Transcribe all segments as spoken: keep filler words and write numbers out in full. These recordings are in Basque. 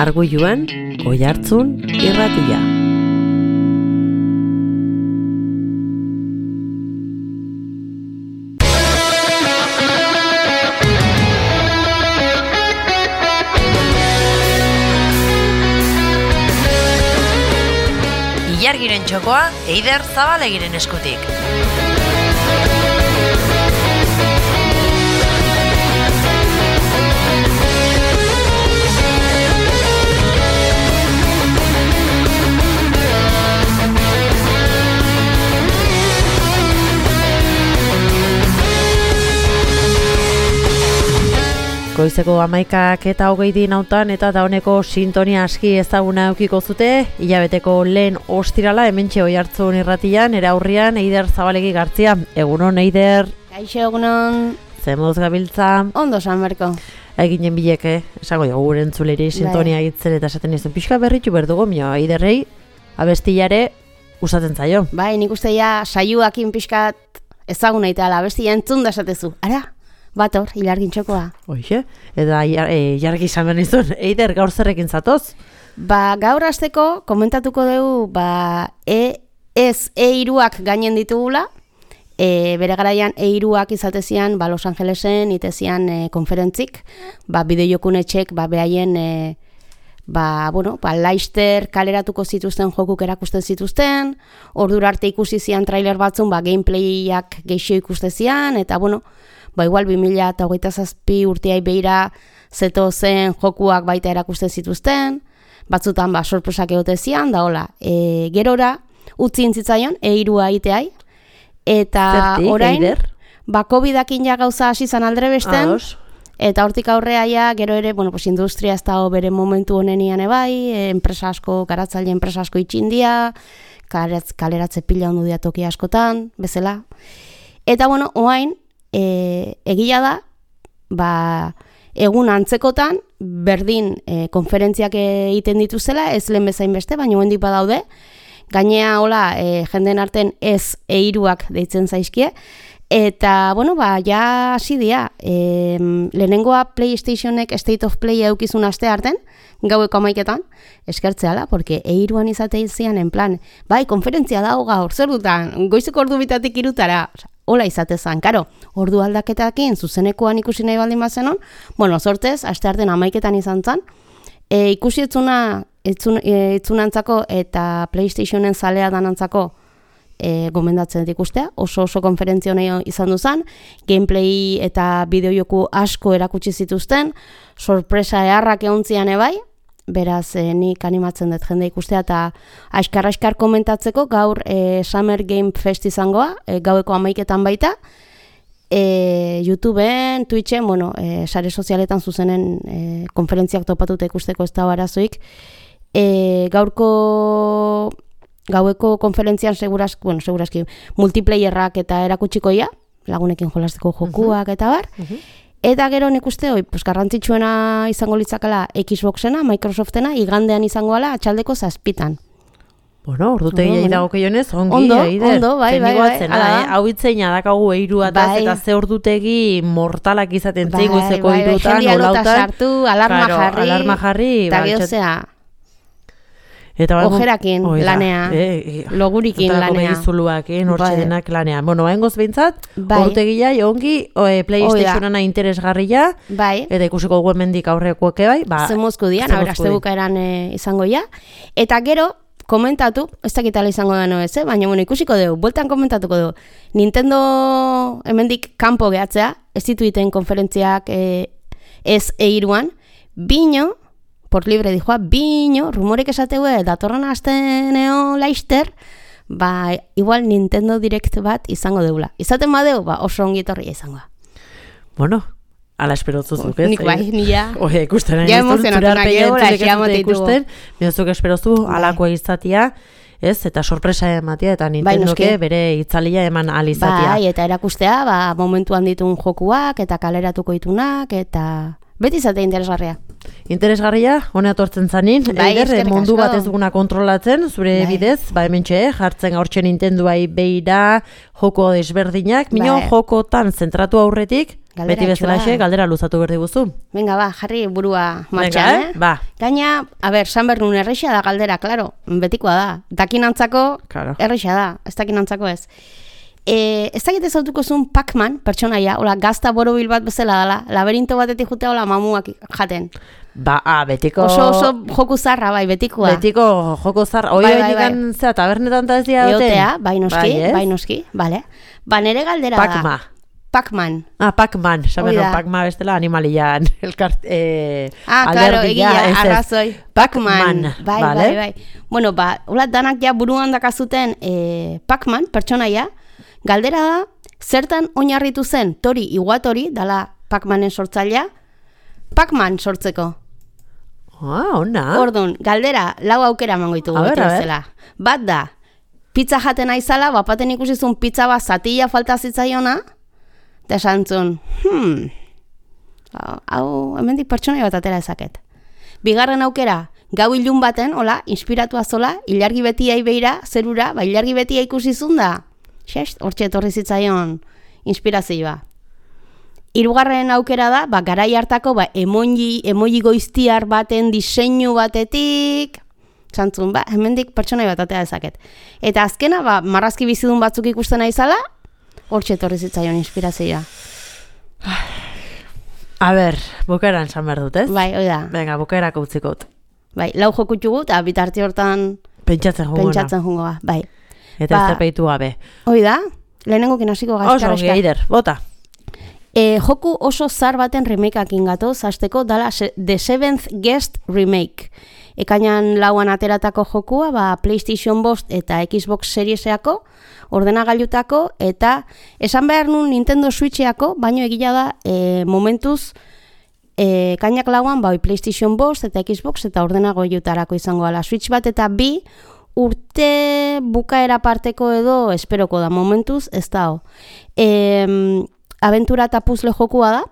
Arguiluan, Oihartzun irratia. Ilargiren txokoa, Eider Zabalegiren eskutik. Goizeko hamaikak eta hogei dinautan eta dauneko sintonia aski ezaguna eukiko zute, hilabeteko lehen ostirala hementxe Oihartzun irratian, era aurrian Eider Zabalegi Gartzia. Egunon, Eider. Kaixo, egunon. Zemuz gabiltza. Ondo, San Marko. Eginen bileke, esango dugu gure entzuleri sintonia egitzen eta esaten izun pixka berritu berdugu, mio, Eiderrei abestillare usatzen zaio. Bai, nik uste ja saioakin pixkat ezaguna eta abestia entzun da esatezu. Ara? Bator, Ilargin txokoa. Oixe, eta e, jargi izan behar nizun. Eider, gaur zerrekin zatoz? Ba, gaur hasteko komentatuko dugu, ba, e, ez E-iruak gainen ditugula, e, bere garaian E-iruak izatezian, ba, Los Angelesen, itezian e, konferentzik, ba, bideojokunetxek, ba, behaien, e, ba, bueno, ba, Leicester kaleratuko zituzten jokuk erakusten zituzten, ordura arte ikusi zian trailer batzun, ba, gameplayak geixo ikustezian, eta, bueno, ba, igual bi mila hogeita zazpi urteai beira zeto zen jokuak baita erakusten zituzten, batzutan ba, sorpresak egotezian, da hola, e, gerora utzi intzitzaion, E-irua iteai, eta Zertik, orain, Eider? ba, COVID-akin ja gauza hasi zan aldre besten, Ados. eta hortik aurrea ja, gero ere, bueno, pues, industria ez da bere momentu honenian ebai, e, enpresa asko, garatzaile enpresa asko itxindia, kaleratze, kaleratze pila ondu dia toki askotan, bezala. Eta, bueno, oain, E, egia da, ba, egun antzekotan, berdin e, konferentziak egiten dituzela, ez lehen bezain beste, baina hendik badaude, gainea hola, e, jenden arten ez E-iruak deitzen zaizkie, eta, bueno, ba, ja hasi dira, e, lehenengoa PlayStationek State of Play eukizun aste arten, gaueko hamaiketan, eskertzeala, porque E-iruan izate izian, en plan, bai, konferentzia dago gaur, zer dutan, goizeko ordu bitatik irutara, hola izatezan, karo, ordu aldaketakin zuzenekoan ikusi nahi baldin bazenon, bueno, sortez, aste arten hamaiketan izan zan, e, ikusi etzuna, etzun, e, etzunantzako eta PlayStationen zalea danantzako e, gomendatzen dut ikustea, oso oso konferentzio nahi izan duzan, gameplay eta bideojoku asko erakutsi zituzten, sorpresa eharrak egontzian ebai, beraz, e, nik animatzen dut jende ikustea eta askar-askar komentatzeko gaur e, Summer Game Fest izangoa, e, gaueko hamaiketan baita, e, YouTubeen, Twitchen, bueno, e, sare sozialetan zuzenen e, konferentziak topatuta ikusteko ez da arazoik, e, gaurko gaueko konferentzian segurazki, bueno, segurazki multiplayerrak eta erakutsikoia, lagunekin jolasteko jokuak uh-huh. eta bar, uh-huh. Eta gero nik uste, oi, pues, garrantzitsuena izango litzakala Xboxena, Microsoftena, igandean izangoala atxaldeko zazpitan. Bueno, ordutegia irago keionez, ongi, ondo, Eider. Ondo, bai, bai, bai. Zena, eh? Hau itzeina dakagu E-iru ataz, bai. eta ze ordutegi mortalak izaten bai, zei goizeko bai, bai, irutan, jendia olautan. lota sartu, alarma claro, jarri, alarma jarri, eta ba, gehozea, eta ojerakin oida, lanea, eh, logurikin lanea. Begizuluakin, hortxe Bai. denak lanea. Bueno, haingoz behintzat, Bai. ordutegia ongi, e, PlayStationana interesgarria, bai. eta ikusiko dugu hemendik aurrekoak bai, ba, zemozku dian, zemozku aste di. bukaeran e, izango ja. Eta gero, komentatu, ez dakitala izango da no ez, eh? Baina bueno, ikusiko dugu, bueltan komentatuko dugu. Nintendo hemendik kanpo gehatzea, ez dituiten konferentziak e, ez E-iruan, bino, por libre dijoa, bino, rumorek esategue, datorren asteneo Leicester, ba, igual Nintendo Direct bat izango deula. Izaten badeu, ba, oso ongi etorria izangoa. Bueno, ala esperozuzuk, ez? Nik bai, nila. Oie, ikusten Ja emozionatu nahi egola, exiamote ikusten, minuzuk esperozu alako izatia, ez? Eta sorpresa ematia, eta Nintendoke bai, bere itzalia eman alizatia. Bai, eta erakustea, ba, momentuan ditun jokuak, eta kaleratuko ditunak, eta beti izate interesgarria. Interesgarria, hone atortzen zanin, bai, Eider, mundu asko. bat ez duguna kontrolatzen, zure bai. bidez, ba hementxe, jartzen gaurtxe Nintendoai beira joko desberdinak, mino bai. jokotan zentratu aurretik, Beti bezalaxe, galdera luzatu berdi guzu. Venga, ba, jarri burua martxan, Venga, eh? Ba. Gaina, a ber, San Bernun erreixa da galdera, klaro, betikoa da. Dakinantzako Claro. erreixa da, ez dakinantzako ez. E, ez dakit ezautuko zuen Pac-Man, pertsonaia, hola, gazta borobil bat bezala dela, laberinto batetik jute hola mamuak jaten. Ba, ah, betiko... Oso, oso joku zarra, bai, betikoa. Betiko joko zar, oi Bai, bai, bai, bai, bai. zera, tabernetan ta ez dira Eotea, bai noski, Bai, ez? bai noski, bale. Ba, nere galdera Pac-Ma. da. Pac-Man. Ah, Pac-Man, Hoi saben, da. Pac-Ma bestela animalian, elkart, eh, Ah, claro, alderdia, egia, ez ez. arrazoi. Pac-Man, Bai, vale? bai, bai. Bueno, ba, hola danak ja buruan dakazuten eh, Pac-Man, pertsonaia, galdera da, zertan oinarritu zen Tori Iwatori, dala Pac-Manen sortzailea, Pac-Man sortzeko. Ah, ona. Ordun, galdera, lau aukera emango ditugu A ber, beti a ber. bezala. Bat da, pizza jaten aizala, bapaten ikusi zuen pizza bat zatila falta zitzaiona, eta esan zuen, hmm, hau, hau hemendik pertsonai bat atera ezaket. Bigarren aukera, gau ilun baten, hola, inspiratua zola, ilargi betia beira, zerura, ba, ilargi betia ikusi zuen da, xest, hortxe etorri zitzaion inspirazioa. Hirugarren aukera da, ba, garai hartako ba, emoji, emoji goiztiar baten diseinu batetik, zantzun, ba, hemendik pertsonai bat atea dezaket. Eta azkena, ba, marrazki bizidun batzuk ikusten aizala, hortxe etorri zitzaion inspirazioa. A ber, bukaeran esan behar dut, ez? Bai, hoi da. Venga, bukaerako utzikot. Bai, lau jokutxugu, eta bitarte hortan Pentsatzen juguna. pentsatzen jungo ba. Bai. Eta Ba, ez tepeitu gabe. Hoi da, lehenengokin hasiko Oso, gazkara ongi, Eider, bota. E, joku oso zar baten remakeakin gatoz, hasteko dala se, The Seventh Guest Remake. Ekainan lauan ateratako jokua, ba, PlayStation bost eta Xbox Serieseako, ordenagailutako, eta esan behar nun Nintendo Switcheako, baino egila da e, momentuz e, kainak lauan ba, PlayStation bost eta Xbox eta ordenagailutarako izango ala. Switch bat eta bi urte bukaera parteko edo esperoko da, momentuz ez da ho. E, aventura eta puzzle jokua da,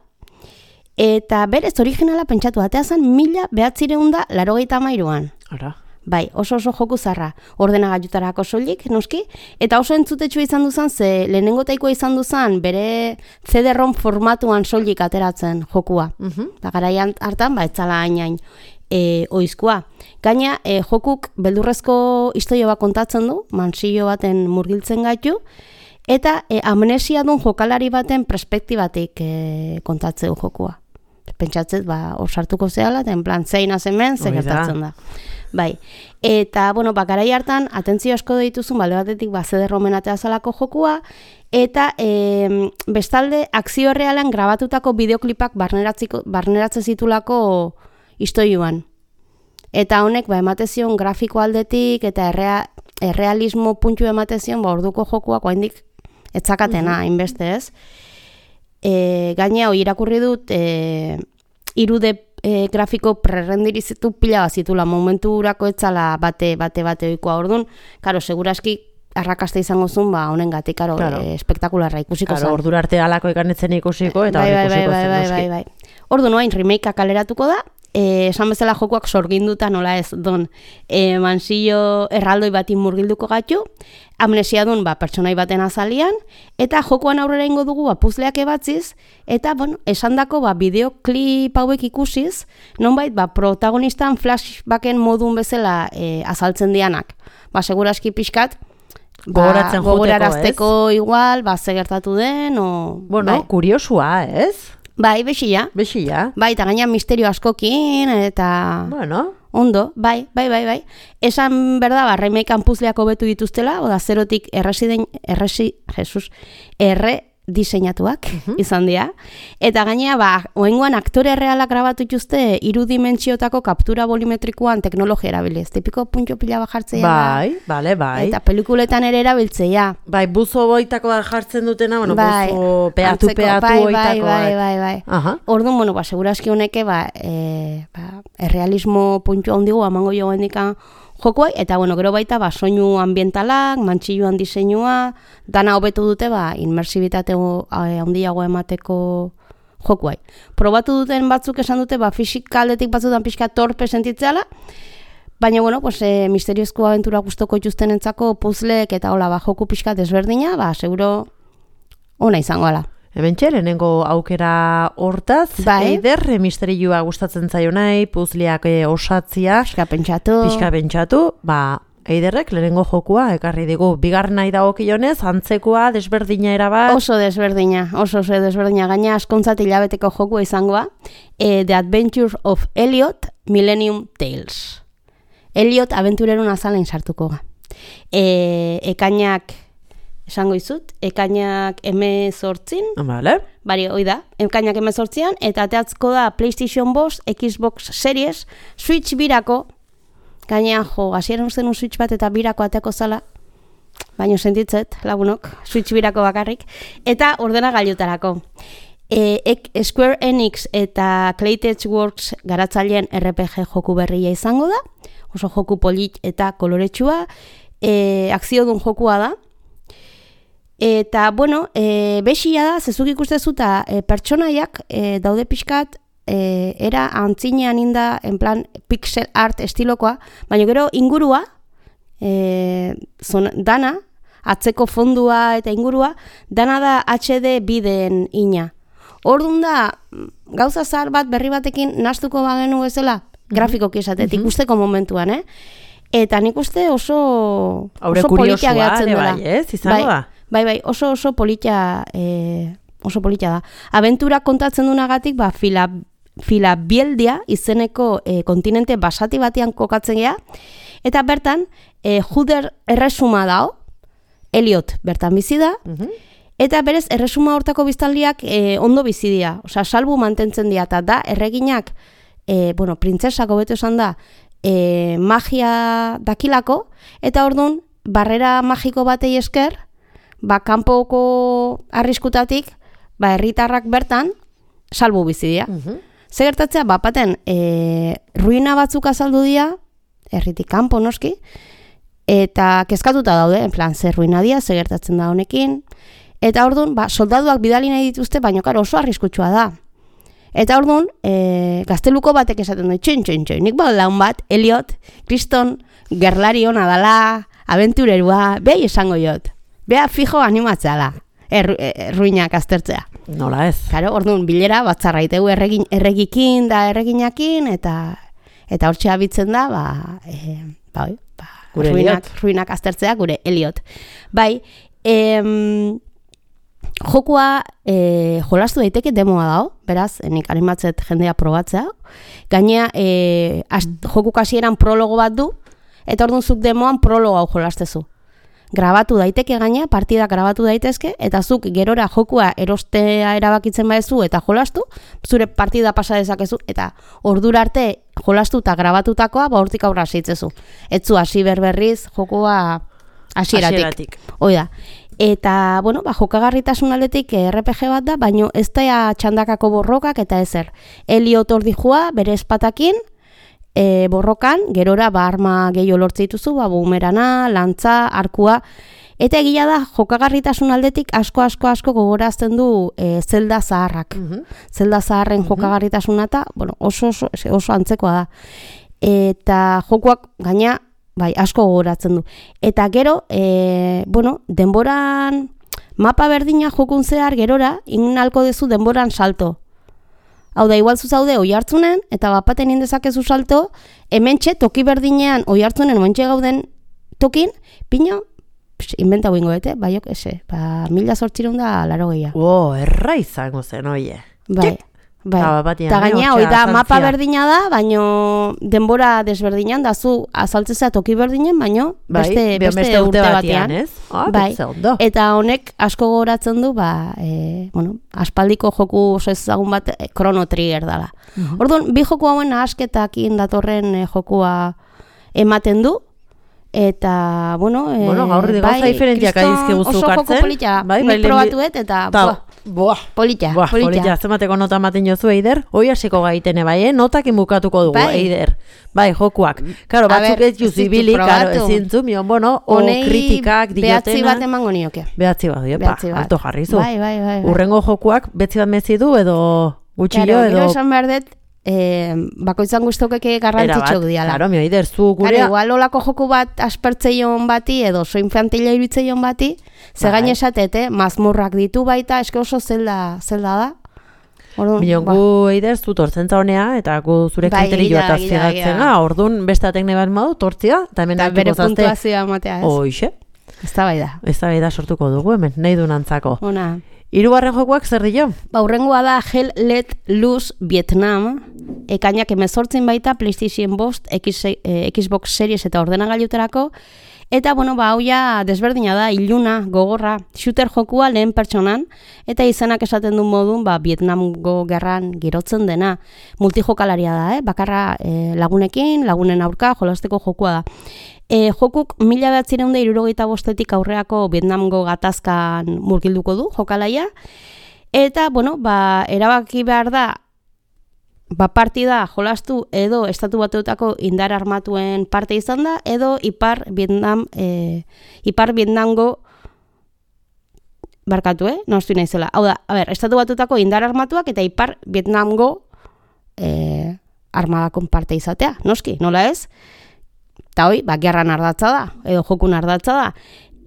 eta berez originala pentsatu atea zen mila behatzireun da larogeita hamairuan. Ara. Bai, oso oso joku zarra, ordenagailutarako soilik, noski, eta oso entzutetxua izan duzan, ze lehenengo taikoa izan duzan, bere C D-ROM formatuan soilik ateratzen jokua. Mhm. Da garaian hartan, ba, etzala hain e, oizkoa. Gaina, e, jokuk beldurrezko historia bat kontatzen du, mansillo baten murgiltzen gaitu, eta e, amnesia dun jokalari baten perspektibatik e, kontatzeu jokua. Pentsatzet, ba, hor sartuko zehala, eta en plan, zein azemen, ze Hoi da. gertatzen da. Bai, eta, bueno, ba, garai hartan, atentzio asko dituzun, balde batetik, ba, C D-ROMen ateazalako jokua, eta e, bestalde, akzio realean grabatutako bideoklipak barneratzen zitulako istoiuan. Eta honek, ba, ematezion grafiko aldetik, eta errea, errealismo puntu ematezion, ba, orduko jokuak oaindik etzakatena, hainbeste ez. E, gaina, hoi irakurri dut, e, irude e, grafiko prerrendirizitu pila bat zitula, momentu urako etzala bate, bate, bate oikoa orduan, karo, seguraski arrakasta izango zuen, ba, honen gatik, karo, Claro. e, espektakularra ikusiko Claro, zen. ordura arte alako ikanetzen ikusiko, eta bai, hori bai, bai, ikusiko bai, zen, bai, noski. bai, bai. Ordu noain, remakea kaleratuko da, e, esan bezala jokoak sorginduta nola ez, don, e, mansillo erraldoi batin murgilduko gaitu, amnesia dun, ba, pertsonai baten azalian, eta jokoan aurrera ingo dugu, ba, puzleak ebatziz, eta, bueno, esandako, ba, bideoklip hauek ikusiz, nonbait, ba, protagonistan flashbacken modun bezala e, azaltzen dianak. Ba, seguraski pixkat, ba, Gogoratzen joteko, gogorarazteko igual, ba, ze gertatu den, o... Bueno, bai? kuriosua, ez? Bai, bexia. Bexia. Bai, eta gaina misterio askokin, eta... Bueno, Ondo, bai, bai, bai, bai. Esan berda, ba, remakean puzleak hobetu dituztela, oda zerotik erresiden, erresi, Jesus, erre diseinatuak izan dira. Eta gainea, ba, oengoan aktore realak grabatu dituzte irudimentsiotako kaptura bolimetrikoan teknologia erabiliz. Tipiko puntxo pila bat jartzea. bai, bale, bai. Eta pelikuletan ere erabiltzea. Bai, buzo boitakoa jartzen dutena, bueno, Bai, buzo peatu, antzeko, peatu bai, boitako. bai, bai, bai, bai. Aha. Orduan, bueno, ba, seguraski honeke, ba, e, ba, errealismo puntua handigu amango jo gendikan jokoai, eta, bueno, gero baita, ba, soinu ambientalak, mantxilluan diseinua, dana hobetu dute, ba, inmersibitate handiago emateko jokuai. Probatu duten batzuk esan dute, ba, fisika aldetik batzutan pixka torpe sentitzeala, baina, bueno, pues, e, misteriozko aventura gustoko ituztenentzako puzzleek eta hola, ba, joku pixka desberdina, ba, seguro ona izango ala. Hementxe, lehenengo aukera hortaz, Bai. Eider, misterioa gustatzen zaio nahi, puzliak e, osatzia, Pixka pentsatu. pixka pentsatu, ba, Eiderrek lehenengo jokua ekarri digu. Bigarren nahi dagokionez, antzekoa, desberdina erabat. Oso desberdina, oso oso desberdina. Gaina askontzat hilabeteko jokua izangoa. E, The Adventures of Elliot, Millennium Tales. Elliot abenturerun azalein sartuko ga. E, ekainak, esango izut, ekainak emezortzin, Vale. bari, hoi da, ekainak emezortzian, eta ateatzko da PlayStation bost, Xbox Series, Switch birako, gaina, jo, hasieran usten un Switch bat eta birako ateako zala, baino sentitzet, lagunok, Switch birako bakarrik, eta ordena gailutarako. E, ek, Square Enix eta Claytech Works garatzaileen R P G joku berria izango da, oso joku polit eta koloretsua, e, akziodun jokua da, eta, bueno, e, bexia da, zezuk ikustezu eta e, pertsonaiak e, daude pixkat, E, era antzinean inda, en plan, pixel art estilokoa, baina gero ingurua, e, zon, dana, atzeko fondua eta ingurua, dana da H D bideen ina. Orduan da, gauza zahar bat berri batekin nastuko bagenu bezala, grafikoki esatetik, Mm-hmm. usteko momentuan, eh? Eta nik uste oso, Haure oso politia kuriosua, gehatzen ere dela. bai, ez? Izango da? Bai, bai, oso oso politia, e, oso politia da. Abentura kontatzen dunagatik, ba, fila, Filabieldia izeneko e, kontinente basati batean kokatzen gea, eta bertan, e, Juder erresuma dao, Elliot bertan bizi da, Mhm. eta berez erresuma hortako biztanliak e, ondo bizi dira, osea, salbu mantentzen dira, eta da, erreginak, e, bueno, printzesako beto esan da, e, magia dakilako, eta orduan, barrera magiko batei esker, ba, kanpoko arriskutatik, ba, herritarrak bertan, salbu bizi dira. Mhm. Ze gertatzea, bapaten, e, ruina batzuk azaldu dira, herritik kanpo noski, eta kezkatuta daude, en plan, zer ruina dira, ze gertatzen da honekin, eta orduan, ba, soldaduak bidali nahi dituzte, baina karo oso arriskutsua da. Eta orduan, e, gazteluko batek esaten du, txin, txin, txin, nik bau laun bat, Elliot, kriston, gerlari hona dala, abenturerua, behi esango jot, beha fijo animatzala, er, er, ruinak aztertzea. Nola ez? Claro, orduan bilera batzarra itegu erregin, erregikin da erreginakin eta eta hortxe abitzen da, ba, e, ba, oi, ba Gure ruinak, Elliot. ruinak aztertzea gure Elliot. Bai, em, jokua e, jolastu daiteke demoa dago, beraz, nik animatzet jendea probatzea. Gainea, e, joku kasieran prologo bat du, eta orduan zuk demoan prologo hau jolastezu. Grabatu daiteke gaina, partida grabatu daitezke, eta zuk gerora jokua erostea erabakitzen baezu eta jolastu, zure partida pasa dezakezu, eta ordura arte jolastu eta grabatutakoa, ba hortik aurra hasitzezu. Etzu hasi berberriz jokua hasieratik. Hasieratik. Hoi da. Eta, bueno, ba, jokagarritasun aldetik R P G bat da, baino ez da txandakako borrokak eta ezer. Elliot hor dijua, bere espatakin, e, borrokan, gerora ba arma gehiago lortze dituzu, ba bumerana, lantza, arkua, eta egia da jokagarritasun aldetik asko asko asko gogorazten du e, Zelda zaharrak. Mhm. Zelda zaharren jokagarritasuna eta, bueno, oso, oso, oso antzekoa da. Eta jokuak gaina, bai, asko gogoratzen du. Eta gero, e, bueno, denboran, mapa berdina jokun zehar gerora, inalko dezu denboran salto. Hau da, igual zuzaude oi hartzunen, eta bapaten indezakezu salto, hementxe toki berdinean oi hartzunen, hementxe gauden tokin, pino, pss, inventa guingo bete, baiok, ese, ba, mila sortzireun da laro gehiago. Oh, erra izango zen, oie. Bai, bai. Ba, batean, Eta eh, gaina, hortxe hoi da, mapa azaltzea. berdina da, baino denbora desberdinan, da zu azaltzea toki berdinen, baino Bai, beste, be- beste, urte batean. ez? Ah, Bai. betze ondo. Eta honek asko gogoratzen du, ba, e, bueno, aspaldiko joku oso ezagun bat, e, Chrono Trigger dala. Mhm. Orduan, bi joku hauen asketakin datorren e, jokua ematen du, eta, bueno, e, Bueno, gaur gauza diferentiak kriston adizkiguzu oso joku kartzen. polita, Bai, bai, nik lehenbi- probatuet, eta, Ta, buah, Boa, polita, Buah, polita. polita, zemateko nota ematen jozu, Eider, hoi hasiko gaitene bai, eh? Notakin bukatuko dugu, Bai. Eider. Bai, jokuak. Karo, A batzuk ber, ez ez ditut juzibili, karo, probatu. ezin zu, mion, bueno, o Honei kritikak behatzi bat diotena. emango nioke. Behatzi bat, dio, pa, Behatzi bat. alto jarri zu. Bai, bai, bai. bai. Urrengo jokuak betzi bat mezi du, edo gutxillo, Claro, edo... gero esan behar dut, E, bakoitzan guztokeke garrantzitsuak diala. Claro, mi Eider, zu gurea... Claro, igual olako joku bat aspertzeion bati, edo so infantila irutzeion bati, ze gain esatete, mazmurrak ditu baita, eske oso zelda, zelda da. Minon, gu Eider, zu tortzentza honea, eta gu zure kriterio bat aziegatzen ga, orduan beste atekne bat madu, tortzia, eta hemen bere puntuazioa matea, ez? Oixe. Ez da bai da. Ez da bai da sortuko dugu hemen, nahi du nantzako. Ona. Hirugarren jokuak zer dio? Ba, hurrengoa da Hell Let Loose Vietnam, ekainak hemezortzin baita PlayStation bost, X, eh, Xbox Series eta ordenagailutarako, eta, bueno, ba, hau ja desberdina da, iluna, gogorra, shooter jokua lehen pertsonan, eta izenak esaten du modun, ba, Vietnamgo gerran girotzen dena. Multijokalaria da, eh? Bakarra eh, lagunekin, lagunen aurka, jolasteko jokua da. E, jokuk mila behatzireun da hirurogeita bostetik aurreako Vietnamgo gatazkan murgilduko du jokalaia. Eta, bueno, ba, erabaki behar da, ba, partida jolastu edo estatu batuetako indar armatuen parte izan da, edo ipar Vietnam, e, ipar Vietnamgo barkatu, eh? Nostu naizela. Hau da, a ber, estatu batuetako indar armatuak eta ipar Vietnamgo e, armadakon parte izatea, noski, nola ez? Eta hoi, ba, gerran ardatza da, edo jokun ardatza da.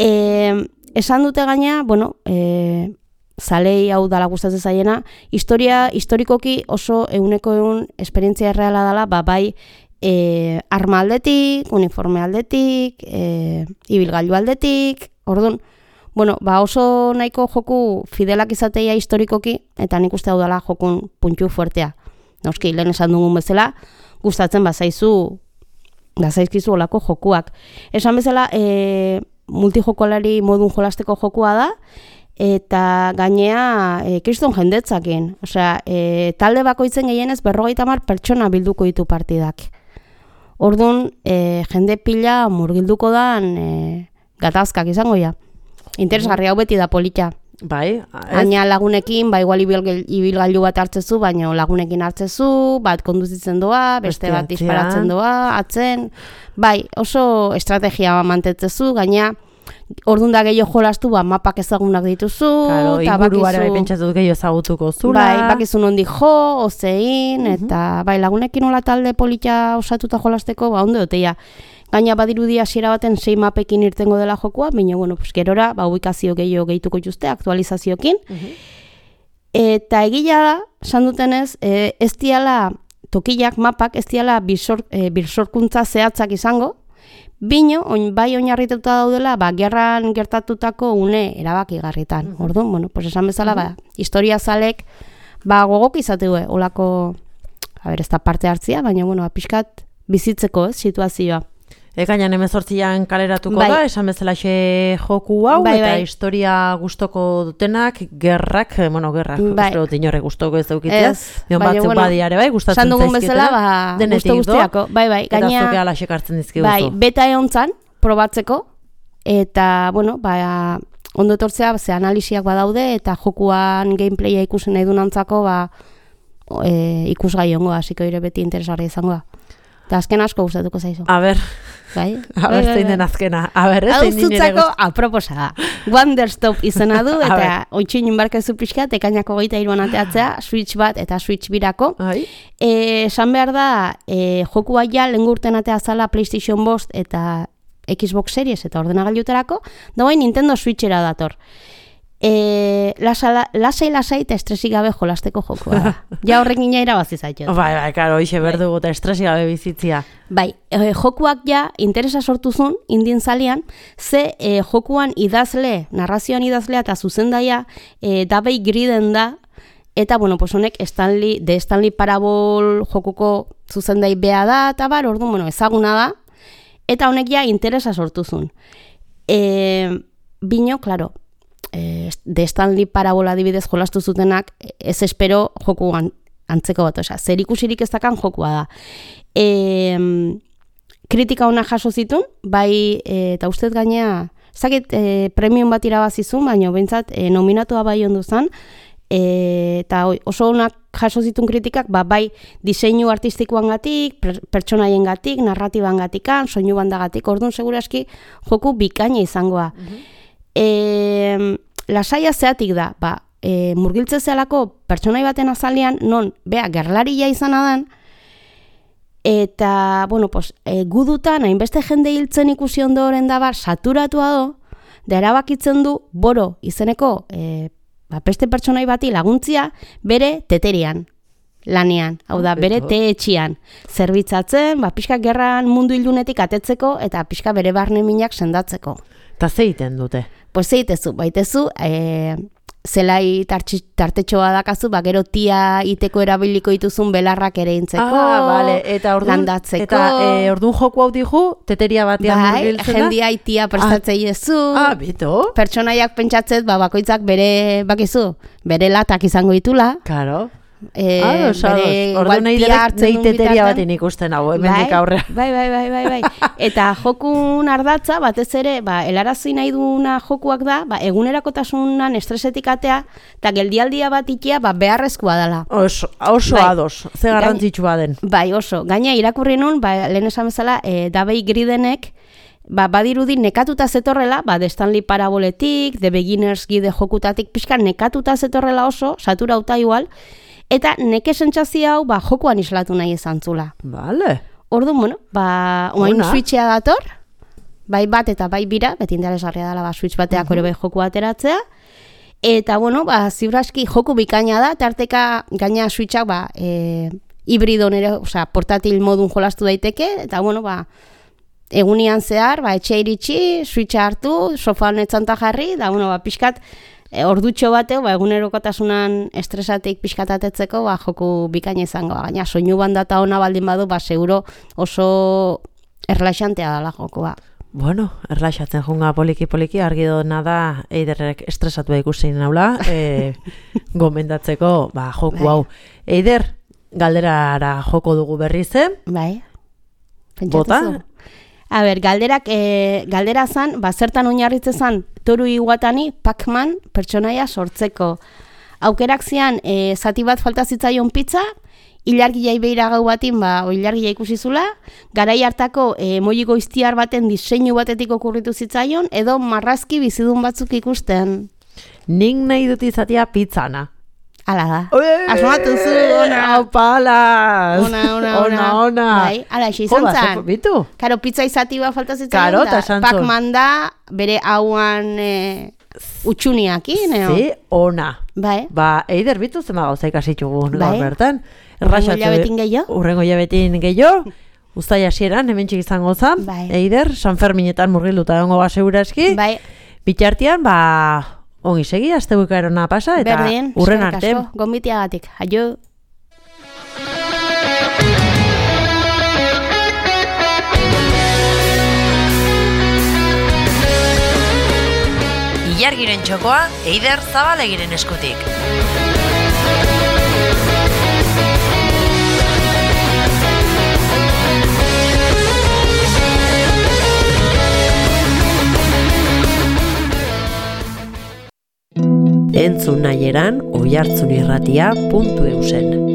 E, esan dute gaina, bueno, e, zalei hau dala gustatzen zaiena, historia, historikoki oso euneko egun esperientzia erreala dela, ba, bai e, arma aldetik, uniforme aldetik, e, ibilgailu aldetik, orduan, bueno, ba, oso nahiko joku fidelak izateia historikoki, eta nik uste hau dela jokun puntu fuertea. Noski, lehen esan dugun bezala, gustatzen bazaizu Gazaizkizu olako jokuak. Esan bezala, e, multijokolari modun jolasteko jokua da, eta gainea e, kriston jendetzakin. Osea, e, talde bakoitzen gehienez berrogeita hamar pertsona bilduko ditu partidak. Orduan, e, jende pila murgilduko dan e, gatazkak izango ja. Interesgarri hau beti da polita. Bai, Aina lagunekin, ba, igual ibilgailu bat hartzezu, baina lagunekin hartzezu, bat konduzitzen doa, beste bat disparatzen doa, atzen. Bai, oso estrategia mantetzezu, gaina ordun da gehiago jolastu, ba, mapak ezagunak dituzu. Claro, inguruara bai pentsatu gehiago ezagutuko zula. Bai, bakizu nondi jo, ozein, eta bai, lagunekin hola talde polita osatuta jolasteko, ba, ondo doteia. Gaina badirudi hasiera baten sei mapekin irtengo dela jokua, baina, bueno, pues, gerora, ba, ubikazio gehiago gehituko jutuzte, aktualizazioekin. Uh-huh. Eta egila da, esan dutenez, e, ez diala tokiak, mapak, ez diala bisor, e, bisorkuntza zehatzak izango, bino, oin, bai oinarrituta daudela, ba, gerran gertatutako une erabakigarritan. Uh-huh. Orduan, bueno, pues esan bezala, uh-huh. ba, historia zalek, ba, gogok izateue, olako, a ber, ez da parte hartzia, baina, bueno, pixkat bizitzeko, ez, situazioa. Ekainan hemezortzian kaleratuko bai. Da, esan bezalaxe joku hau, bai, eta bai. historia gustoko dutenak, gerrak, bueno, gerrak, bai. uste dut inorre gustoko ez daukitzea, mion batzuk bueno, badiare bai, gustatzen zaizkitela, bezala, ba, denetik gusto guztiako, bai, bai, eta gaina, zuke ala sekartzen dizkiguzu. Bai, beta eontzan, probatzeko, eta, bueno, ba, ondo etortzea, ze analisiak badaude, eta jokuan gameplaya ikusen nahi dunantzako, ba, e, ikusgai ongoa, hasiko ire beti interesgarria izangoa. Eta azken asko gustatuko zaizu. A ber, bai? a ber, zein den azkena. A ber, ez zein nire gustu. Hau aproposa da. Wonderstop izena du, eta oitxin inbarkezu pixka, ekainako goita iruan ateatzea, Switch bat eta Switch birako. E, esan behar da, e, jokua ja lengurten atea zala PlayStation bost eta Xbox Series eta ordenagailutarako, da bai Nintendo Switchera dator. E, lasai lasai eta estresik gabe jolasteko jokua da. Ja horrekin ja irabazi zaitu. Bai, bai, karo, hoxe berdugu eta estresik gabe bizitzia. Bai, e, jokuak ja interesa sortuzun indien zalian, ze e, jokuan idazle, narrazioan idazlea eta zuzendaia e, dabei griden da, eta, bueno, pues honek Stanley, de Stanley Parable jokuko zuzendai bea da, eta bar, orduan, bueno, ezaguna da, eta honek ja interesa sortuzun. E, bino, klaro, de Stanley Parabola adibidez jolastu zutenak, ez espero jokuan antzeko bat, osea, zer ikusirik ez dakan jokua da. E, kritika ona jaso zitun, bai, e, eta ustez gainea, zakit e, premium bat irabazizun, baina bentsat e, nominatua bai ondu zen, e, eta oso onak jaso zitun kritikak, ba, bai diseinu artistikoan gatik, pertsonaien gatik, narratiban gatikan, soinu bandagatik, orduan seguraski joku bikaina izangoa. Uh-huh. E, lasaia zeatik da, ba, e, murgiltze zelako pertsonai baten azalean, non, bea, gerlaria izan adan, eta, bueno, pues, e, gudutan, hainbeste jende hiltzen ikusi ondoren da bar, saturatua do, da erabakitzen du, boro, izeneko, e, ba, beste pertsonai bati laguntzia, bere teterian, lanean, hau da, bere teetxian, zerbitzatzen, ba, pixka gerran mundu ilunetik atetzeko, eta pixka bere barne minak sendatzeko. Eta zeiten dute? Pues zeitezu, baitezu, e, zelai tartetxoa dakazu, ba, gero tia iteko erabiliko dituzun belarrak ere intzeko, ah, vale. Eta ordun, landatzeko. Eta e, ordun joku hau dihu, teteria batean bai, murgiltzen da? jendia itia prestatzei ezu. Ah, bito. Pertsonaiak pentsatzet, ba, bakoitzak bere, bakizu, bere latak izango ditula. Claro. E, ah, bere, ordu nahi derek nahi teteria batin ikusten hau, hemendik aurrea. Bai, bai, bai, bai, bai. Eta jokun ardatza, batez ere, ba, helarazi nahi duna jokuak da, ba, egunerakotasunan estresetik atea, eta geldialdia bat ikia, ba, beharrezkoa dela. Oso, oso bai. Ados, ze garrantzitsua den. Bai, oso. Gaina irakurri nun, ba, lehen esan bezala, e, Davey Gridenek, ba, badirudi nekatuta zetorrela, ba, The Stanley Paraboletik, The Beginner's Guide jokutatik, pixka nekatuta zetorrela oso, saturauta igual, eta neke sentsazio hau, ba, jokoan islatu nahi izan zula. Vale. Orduan, bueno, ba, oain switchea dator, bai bat eta bai bira, beti interesgarria dela, ba, switch bateak uh-huh. ere bai joku ateratzea, eta, bueno, ba, zibraski joku bikaina da, tarteka gaina switchak, ba, e, hibrido nere, osea, portatil modun jolastu daiteke, eta, bueno, ba, egunian zehar, ba, etxe iritsi, switcha hartu, sofan etzanta jarri, da, bueno, ba, pixkat, E, ordutxo bateo, ba, egunerokotasunan estresatik pixkatatetzeko, ba, joku bikaina izango. Gaina, soinu bandata ona baldin badu, ba, seguro oso erlaxantea dela jokoa. Bueno, erlaxatzen junga poliki-poliki, argi dona da, Eiderrek estresatu ikusi naula, e, gomendatzeko, ba, joku hau. Eider, galderara joko dugu berriz, eh? Bai. Bota? A ber, galderak, e, galdera zan, ba, zertan oinarritze zan, Toru Iwatani Pac-Man pertsonaia sortzeko. Aukerak zian, e, zati bat falta zitzaion pizza, ilargia ibeira gau batin, ba, ilargia ikusi zula, garai hartako e, moiko iztiar baten diseinu batetik okurritu zitzaion, edo marrazki bizidun batzuk ikusten. Nik nahi dut izatea pizzana. Ala da. Asmatu zu, ona. Opalaz. Ona, ona, ona. Ona, Bai, ala, eixi izan zan. Bitu. Karo, pizza izati bat falta zitzaion Karo, da. Karo, Pac-Man da, bere hauan e, utxuniakin, eo? Zi, ona. Bai. Ba, Eider, bitu zema gauza ikasitxugu bai. bertan. Urrengo hilabetin gehiago. Urrengo hilabetin gehiago. Uztai hasieran, hemen txik izango zan. Bai. Eider, San Ferminetan murgilduta dongo ba seguraski. Bai. Bitartean, ba... Ongi segi, azte bukaerona pasa, eta berdin, urren arte. Berdin, gombitiagatik. Aio. Ilargiren txokoa, Eider Zabalegiren eskutik. Entzun nahi eran, oihartzunirratia puntu eusen.